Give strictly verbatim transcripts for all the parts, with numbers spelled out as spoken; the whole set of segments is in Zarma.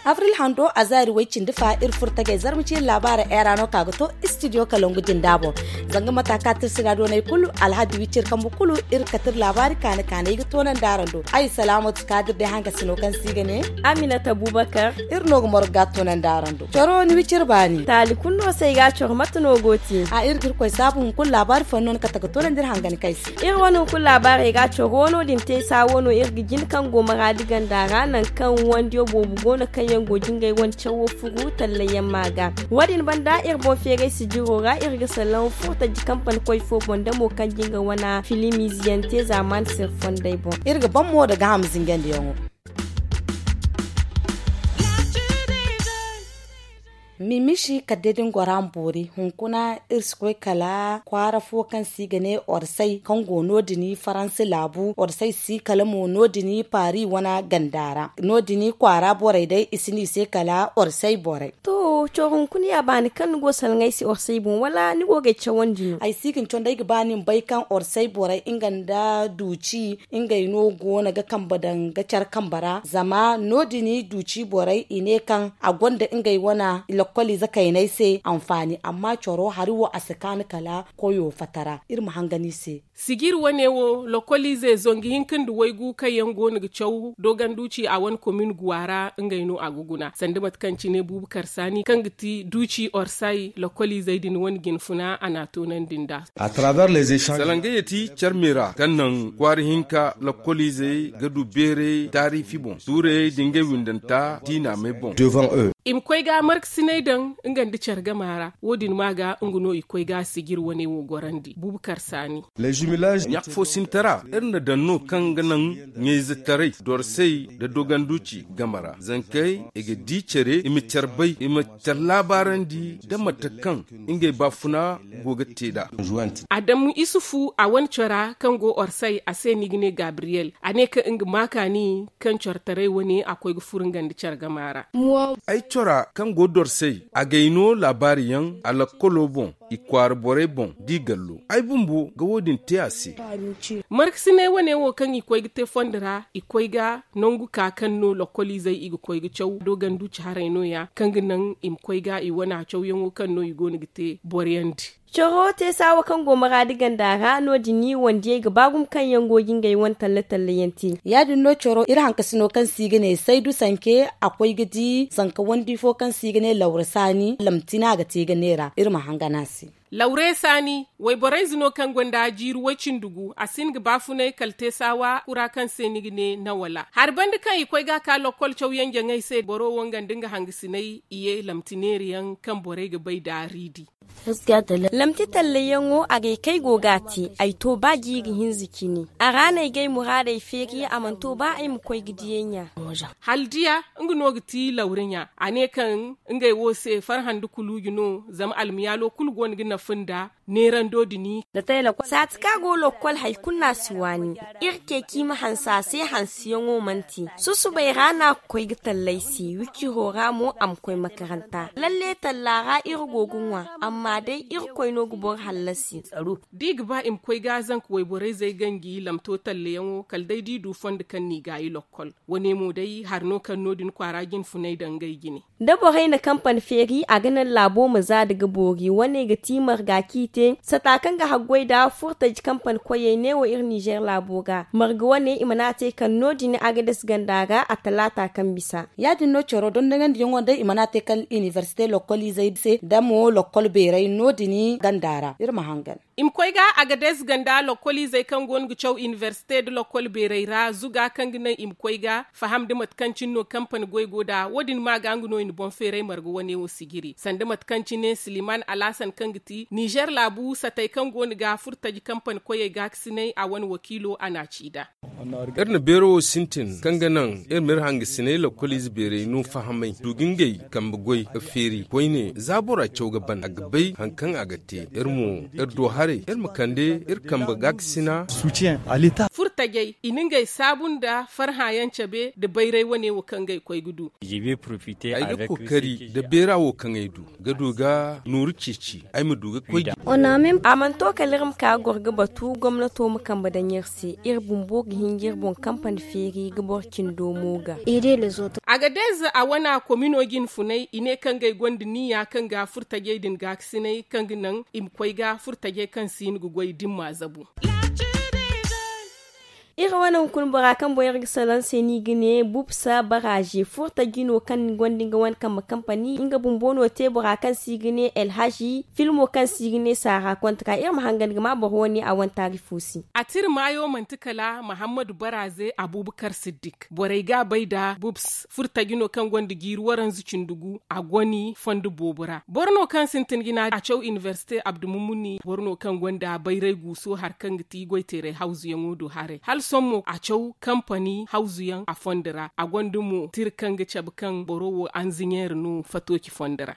Abril hando a zaari way cindi fa iri furo tagay zarma ciiri laabaara era no ka ga to istidiyo kalangu jinda boŋ. Zanga mata ka tirsi ra doonay kulu alhaddi wiciri kambu kulu iri kate iri laabaari kaani kaanay ga toonandi araŋ do. Ay salaamatu kaadir day hangasino kaŋ se i ga ne aminata abubakar. Iri no ga morga ga toonandi araŋ do coro ni wiciri baani taali kulu no se ay ga a coro mate no go te. A iri ga iri koy saabu hunkuna laabaari fooyaŋ no ni kate ga toonandi iri hangani kay se. Iri wane hunkuna laabaarey ga coro no din te saawo no iri ga jin kaŋ go maraadi ganda ra nangu kaŋ wandiyo boobo go no kaŋ yaŋ go jingay wane cawo furu tallayyaŋ ma ga. Wo- din banda iri boŋ feeray sijiro ra iri ga salaŋ furtaji kampani koy fo boŋ da mo kaŋ jinga wane filim ize yaŋ te zaamaani sirri fondey boŋ. Iri ga ban mo daga hama zingandiyaŋo. Mimisi kala day da ni goro a ma boori hunkuna iri si koy kala kwaara fo kaŋ se i ga ne orsay kaŋ go no- din faransi laabu orsay si kala mo no- din paari wane ganda ra no- din kwaara borey day i si ne i se kala orsay borey. To coro hunkuna ya baani kaŋ ni go salaŋ ay se orsay boŋ wala ni go ga ay cawandi no? Ay si ga ni cawandi ay ga ba ni ma bay kaŋ orsay borey nga nda duuci ngey no go no ga kambe daŋ ga care kambe ra zama no- din duuci borey i ne kaŋ a gonda ngey wane lakkoliize kayney se anfaani amma coro hari wo a si kaanu kala koyo fatara iri ma hangan i se. Sijiri wane wo lakkoliize zangu hinka nda waygu kaŋ yaŋ go no ga caw doogan duuci a wane komin guwa ra ngey no a ga guna sanda mate kaŋ cine buubu karsaani kaŋ ga ti duuci orsay lakkoliizey din wane jinfuna a n'a toonandi nd'a. Salangayey ti care me ra kaŋ naŋ kwaara hinka lakkoliizey ga du beeray taariifi boŋ tuurayey da ngey windanta diina may boŋ. I ma koy ga markasinay daŋ nga nda care gama ra wo- din ma ga nga no i koy ga sijiri wane wo gorandi buubu karsaani. Ɲaaka fo sintara iri na daŋ no kaŋ ga naŋ ɲayzetaray dorsay nda doganduci game ra zankey i ga di care i ma care bay i ma care laabaarandi nda mate kaŋ ngey baafuna go ga te nd'a. Adamu isufu a wane cora kaŋ go orsay a se no i ga ne gabriyel a ne kaŋ nga ma kaani kaŋ cortaray wane a koy ga furo nga nda care gama ra. Ay cora kaŋ go dorsay a gay no laabaari yaŋ a lakkolo boŋ i kwaara borey boŋ da i gallo ay bumbo ga wo- din te a se. Markasinay wane wo kaŋ i koy ga te fondo ra i koy ga nangu ka kaŋ no lakkoliizey i ga koy ga caw dooganduci haray no- ya kaŋ ga naŋ i ma koy ga i wana cawyaŋo kaŋ no i go no ga te boro yaŋ di. Coro te saawa kaŋ go maraadi ganda ra no- din wandiyey ga ba gumo kaŋ yaŋ go ga ngey wane talle talle yaŋ te. Ya- din no coro iri hankasino kaŋ se i ga ne saydu sanke a koy ga di zanka wandi fo kaŋ se i ga ne lawra saani lamtina ga te ga neera iri ma hangan a se. Lawre saani wayborayze no kaŋ gonda jiiri way-cindi gu a si hin ga baafunay kala te saawa kura kaŋ se ni ga ne nawala hari banda kaŋ i koy ga a ka lokkol cawyaŋ jaŋay se boro wo nga nda nga hangasinay i ye lamti neera yaŋ kaŋ borey ga bay da riidi. Lamti tallayaŋo a gay kay go ga a te ay to ba jiiri hinza cine a ra no ay ga ay muraadey feeri a mana to ba ay ma koy ga diyay ɲa. Hala diya nga no ga ti lawra ɲa a ne kaŋ ngey wo se farhã nda kuluuji no zama almayaalo kulu go no ga nafa nda neerando din. Saati kaŋ a go lokkol hari kulu no a si waani. Iri ceeci i ma hanse a se hanseyaŋo mana te susubay ra no a ga koy ga talla ay se wiciro ra mo a ma koy makaranta lalle talla ra iri go ga ŋwa amma day irkoy no ga boro hallasi. Da i ga ba i ma koy ga zanka wayborayzey ganji lamto tallayaŋo kala day da i du fondo kaŋ no i gaayi lokkol wane mo day hari no kaŋ no- din kwaara jinfunay daŋ ngey jine. Da borey na kampani feeri a ga naŋ laabo ma za da ga boori wane ga ti marga kaŋ i te sata kaŋ ga haggoy nda furtaji kampani koyey neewo iri nizer laabo ga marga wane i mana a te kaŋ no- din a ga dasa ganda ra a talaata kaŋ bisa. Ya- din no caro dondoŋandiyaŋo day i mana a te kala inibersite lokkoliizey se nda mo lokkol beeray no- din ganda ra iri ma hangan. I ma koy ga a ga dees ganda lokkoliizey kaŋ go no ga caw inibersite nda lokkol beeray ra zuga kaŋ ga naŋ i ma koy ga faham nda mate kaŋ cine no kampani goy go nd'a wo- din ma ga nga no i na boŋ feeray marga wane wo sijiri sanda mate kaŋ cine siliman alhasan kaŋ ga ti nizer laabu satey kaŋ go no ga furtaji kampani koyey gaakasinay a wane wakiilo a n'a ci nd'a. Iri na beero wo sintin kaŋ ga naŋ iri ma iri hangasinay lokkoliize beeray no fahamay du ga ngey kambe goy ga feeri koyne za bora caw ga ban a ga bay. Hari kaŋ a ga te iri mo iri do haray iri ma kande iri kambe gaakasina. Furtajey i na ngey saabu nda farhã yaŋ cabe nda bayray wane wo kaŋ ga ay koy ga du. Ay ga kookari nda beera wo kaŋ ay du ga du ga nooru ceeci ay ma du ga koy. A mana to kala iri ma ka ga goro ga batu gomnato ma kambe daŋ iri se. Iri bumbo ga hin ga iri boŋ kampani feeri ga boro cindo mo ga. Agadez a wana komino jinfunay i ne kaŋ ga ay gonda niya kaŋ ga furtajey din gaakasinay kaŋ ga naŋ i ma koy ga furtajey kaŋ si hin ga goy da ni m'a zabu. Iri wane hunkuna bora kaŋ boŋ iri ga salaŋ se no i ga ne bubsa baraze furtaji no kaŋ gonda nga wane kambe kampani nga bumbo no te bora kaŋ se i ga ne alhaji filmo kaŋ se i ga ne saara kontra iri ma hangan ga ma boro wane a wane taari fo se. A tira maayo manti kala mahammadu baraze abubakar siddik borey ga a bay nda bubs furtaji no kaŋ gonda jiiri waranza cindi gu a goni fondo boobo ra boro no kaŋ sintin jina a caw inibersite abdumumuni boro no kaŋ gonda bayray guuso hari kaŋ ga ti goyteeray hawzuyaŋo do haray hala sohõ mo a caw kampani hawzuyaŋ a fondo ra a gonda mo tira kaŋ ga cabe kaŋ boro wo anziɲeeri no fatooci fondo ra.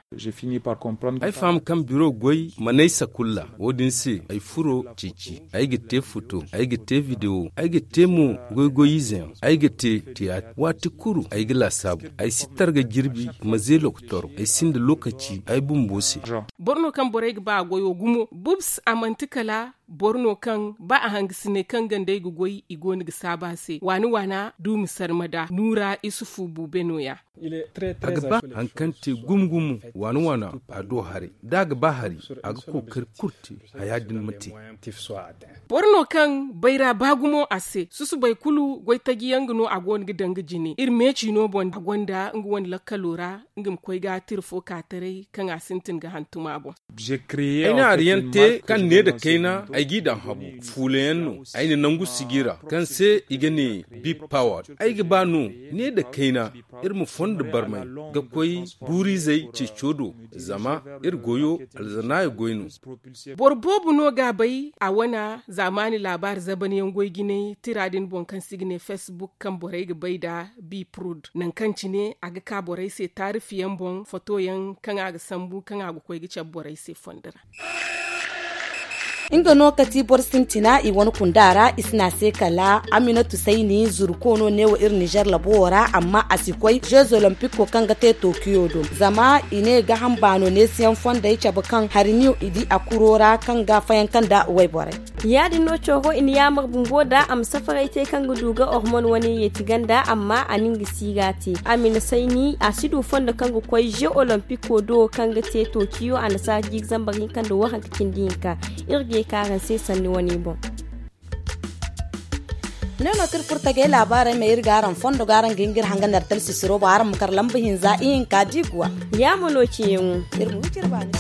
Ay faham kaŋ biro goy mana ay sakulla wo- din se ay furo ceeci ay ga te foto ay ga te videwo ay ga te mo goy-goy ize yaŋ ay ga te tiyaatir waati kulu ay ga laasaabu ay si targa jirbi ma ze lokotoro ay sinda lookaci ay bumbo se. Boro no kaŋ borey ga ba a goyo gumo bubs a manti kala boro no kaŋ ba a hangasinay kaŋ ganda ay ga goy i go no ga saabu a se waana waana duumi sarmada nuura isufu buube no- ya. A ga ba hari kaŋ te gumo-gumo waana waana a do haray da a ga ba hari a ga kookari kulu te haya din ma te. Boro no kaŋ bayra ba gumo a se susubay kulu goytaji yaŋ ga no a go no ga danga jine iri meeci no boŋ a gonda nga wane lakkalo ra nga ma koy ga tira fo ka taray kaŋ a sintin ga hantum a boŋ. Ay na hari yaŋ te kaŋ ne nda kayna ay g'i daŋ habu fuula yaŋ no ay na nangu sijira kaŋ se i ga ne big power ay ga ba no ne nda kayna iri ma fondo barmay ga koy buuriizey ceeco do zama iri goyo alzanaaya goy no. Boro boobo no ga a bay a wane zaamaani laabaari zabanyaŋ goy jinay tira din boŋ kaŋ se i ga ne facebook kaŋ borey ga bay nda biprod nangu kaŋ cine a ga ka borey se taarifi yaŋ boŋ foto yaŋ kaŋ a ga sambu kaŋ a ga koy ga cabe borey se fondo ra. Nga no kati boro sintina i wane kunda ra i si ne a se kala aminatu sayni zuru koono neewo iri nizer labo wo ra amma a si koy jeux olympico kaŋ ga te tokiyo do zama i ne gaham baano neesiyaŋ fondey cabe kaŋ hari niyo i di a kuro ra kaŋ ga fayanka nda wayborey. Ya- din no coro i na yaamar bumbo nda a ma safaray te kaŋ ga du ga hormon wane yeeti ganda amma a na nga siira te a ma i na sayni a si du fondo kaŋ ga koy jeux olympico do kaŋ ga te tokiyo a na saara jiiri zambar hinka nda waranka cindi hinka. Iri ga ye ka araŋ se sanni wane boŋ. Ne no kaŋ iri furo tagay laabaarey ma iri ga araŋ fondo ga araŋ ga hin ga iri hangan iri talsisiro boŋ araŋ ma kar lamba hinza ihinka diiguwa. Ya ma no ciyaŋo iri ma huci iri baani.